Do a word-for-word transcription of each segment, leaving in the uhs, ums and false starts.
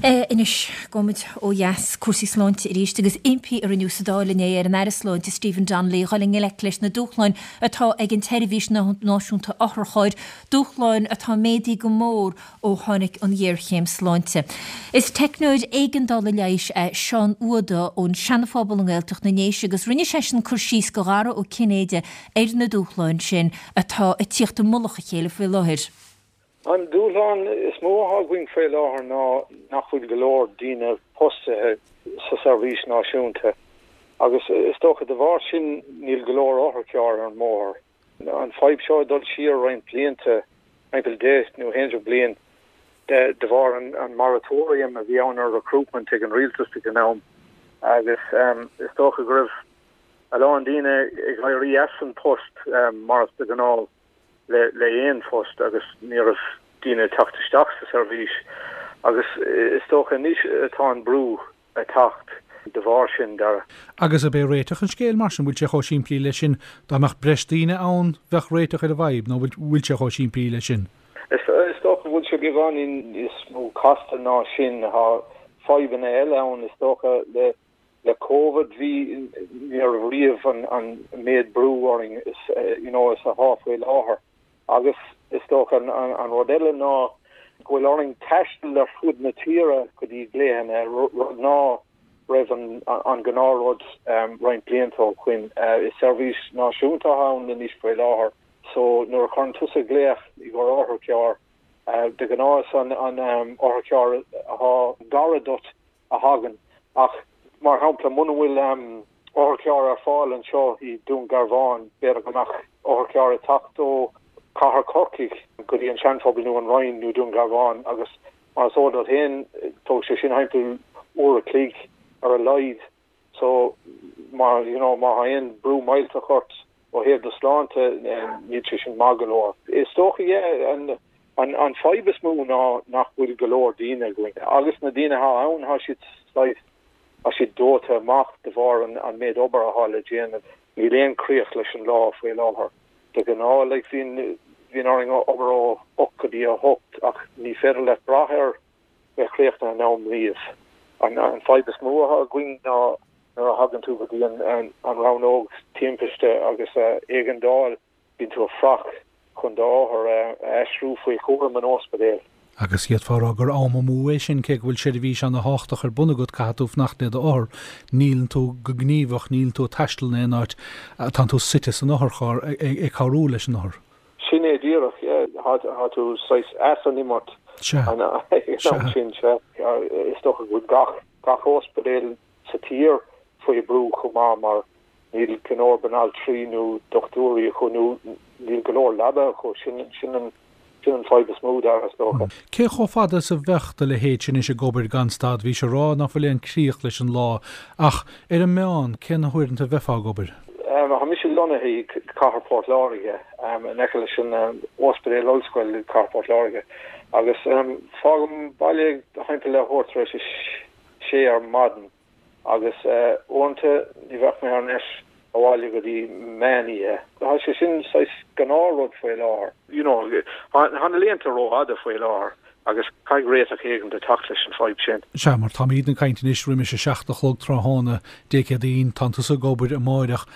Anois gabhfaimid ó dheas cúrsaí sláinte arís agus impí a rinneadh sa Dáil inné ar an Aire Sláinte Stephen Donnelly dhul i ngleic leis na dúshláin atá ag an tseirbhís náisiúnta otharchairr, dúshláin atá méadaithe go mór ó tháinig an ghéarchéim sláinte. Is teicneoir éigeandála leighis é Seán Uada ón Seanphobal i nGaeltacht na nDéise agus rinne seisean cur síos do Dhara Ó Cinnéide ar na dúshláin sin atá ag tíocht i mullach a chéile faoi láthair. An dúshlán is mó atá againn faoi láthair ná nach bhfuil go leor daoine postaithe sa seirbhís náisiúnta agus is dócha de bharr sin níl go leor otharcharr ar an mbóthar. An fadhb seo ag dul siar roinnt blianta, timpeall deich nó aon déag bliain de de bharr an an moratorium a bhí ann ar recruitment ag an rialtas ag an am agus is dócha go raibh a lán daoine ag éirí as an post mar is de ghnáth. le le aon phost agus ní raibh daoine ag teacht isteach sa seirbhís agus is dócha anois atá an brú ag teacht de bharr sin, Dara. Agus ab é réiteach an scéil mar sin, bhfuil sé chomh simplí leis sin, dá mbeadh breis daoine ann bheadh réiteach ar an bhfadhb nó bhfuil sé chomh simplí leis sin? Is dócha go bhfuil sé beagáinín níos mó casta ná sin, tá fadhbanna eile ann is dócha le le Covid bhí ní raibh riamh an an méid brú orainn is you know is atá faoi láthair agus is dócha an an an rud eile ná go bhfuil orainn taisteal ar fud na tíre go dtí glaochanna rud ná raibh an an gnáthrud um, roinnt blianta ó shin uh, is seirbhís náisiúnta ann anois faoi láthair so nuair a chuireann tusa glaoch i gcomhair otharcharr uh, de ghnáth an an um, otharcharr atá gar duit a thagann ach mar shampla muna bhfuil um, otharcharr ar fáil anseo i Dún Garbhán b'fhéidir go mbeadh otharcharr ag teacht ó Cathair Chorcaí go dtí an Seanphobal nó an Rinn nó Dún Garbhán agus mar is eol duit féin tógann sé sin timpeall uair a chloig ar a laghad so mar you know má aon brú millteach ort ó thaobh do sláinte níl sé sin maith go leor. Is dócha yeah, an an an fadhb is mó ná nach bhfuil go leor daoine againn. Agus na daoine atá ann tá siad tá siad dóite amach de bharr an, an méid obair atá le déanamh. Níl aon críoch leis an lá faoi láthair. De ghnáth le bhíonn bhíonn orainn obair ó ocht go dtí a hocht ach ní féidir leat brath ar bheith críochnaithe in am riamh. An, an fadhb is mó atá againn ná nuair a thagann tú go dtí an, an, an rannóg timpiste agus uh, éigeandáil bíonn tú ag fuireach chun d'othar a aistriú faoi chúram an ospidéil. Agus d'fhéadfá a rá gur am amú é sin cé go bhfuil seirbhís an-tábhachtach ar bun agat caithfidh tú fanacht le d'othar, níl tú go gníomhach, níl tú ag taisteal in aon áit, tá tú suite san otharcharr ag cabhrú leis an othar. Sin é díreach tá tú saghas as an imirt sin se is dócha go gach gach ospidéal sa tír faoi brú chomh maith mar níl go leor banaltraí nó dochtúirí acu nó níl go leor leaba acu sin sin an sin an fadhb is mó dar is dócha. Cé chomh fada is a bheadh do leithéid sin ag obair gan stad bhí sé ag rá nach bhfuil aon críoch leis an lá ach ar an meán cé na huaireanta a bheifeá ag obair. Um, Tá mise lonnaithe i Cathair Port Láirge um, in aice leis an um, Ospidéal Ollscoile Cathair Port Láirge agus um, fágaim baile timpeall leathuair tar éis sé ar maidin agus uh, uaireanta ní bheadh mé ar ais abhaile go dtí meánoíche. Tá sé sin saghas gnáthrud faoi láthair. You know, tá na laethanta rófhada faoi láthair agus caithfidh réiteach éigin a theacht leis an fadhb sin. Sea mar táimid ag caint anois roimis a seacht a chlog tráthnóna Dé Céadaoin tá tusa ag obair amárach.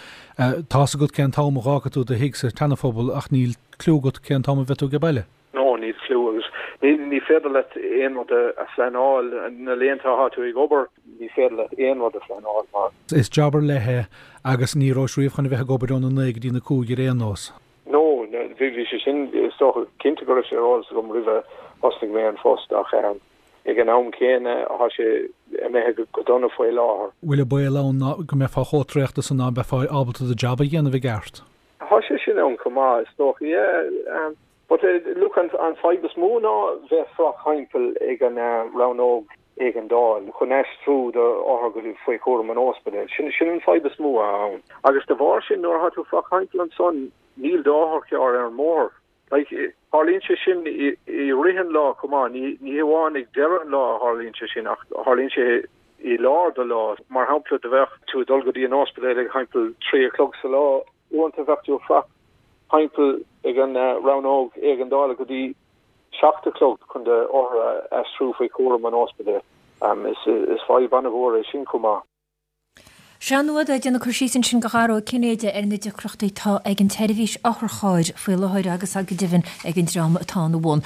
Tá's agat cén t-am a bhfágfaidh tú do thigh sa tSeanaphobal ach níl cliú agat cén t-am a bheidh tú ag baile. No níl cliú agus ní ní féidir leat aon rud a phleanáil na laethanta atá tú ag obair ní féidir leat aon rud a phleanáil mar. Is jab ar leith é agus ní raibh riamh chun a bheith ag obair óna naoi go dtí na cúig ar aon nós. No bhí bhí sé sin is dócha cinnte go raibh sé ar eolas agam roimh thosnaigh mé an phost ach um, ag an am céanna tá sé imithe go dona faoi láthair. Bhfuil a baol ann go mbeifeá chomh traochta san ná beifeá ábalta do jab a dhéanamh i gceart. Tá sé sin ann chomh maith is dócha yeah, um, but uh, look an an fadhb is mó ná bheith fuireach timpeall ag an uh, rannóg éigeandáil chun aistriú d'othar go dtí faoi chúram an ospidéil. Sin sin an fadhb is mó ann. Agus de bharr sin nuair atá tú fuireach timpeall ansan níl d'otharcharr ar an mbóthar. Like, tharlaíonn sé sin i, i rith an lá chomh maith ní ní hamháin ag deireadh an lá a tharlaíonn sé sin ach tharlaíonn sé i lár do lá mar shampla dá mbeadh tú ag dul go dtí an ospidéal ag timpeall trí a chlog sa lá uaireanta bheadh tú fuireach timpeall ag an uh, rannóg éigeandála go dtí seacht a chlog chun d'othar a aistriú faoi chúram an ospidéil. Is fadhb an-mhór é sin chomh maith. Seán Ó Uada ag déanamh cur síos ansin do Dhara Ó Cinnéide ar na deacrachtaí atá ag an tseirbhís otharchairr faoi láthair agus go deimhin ag an dream atá ina bhun.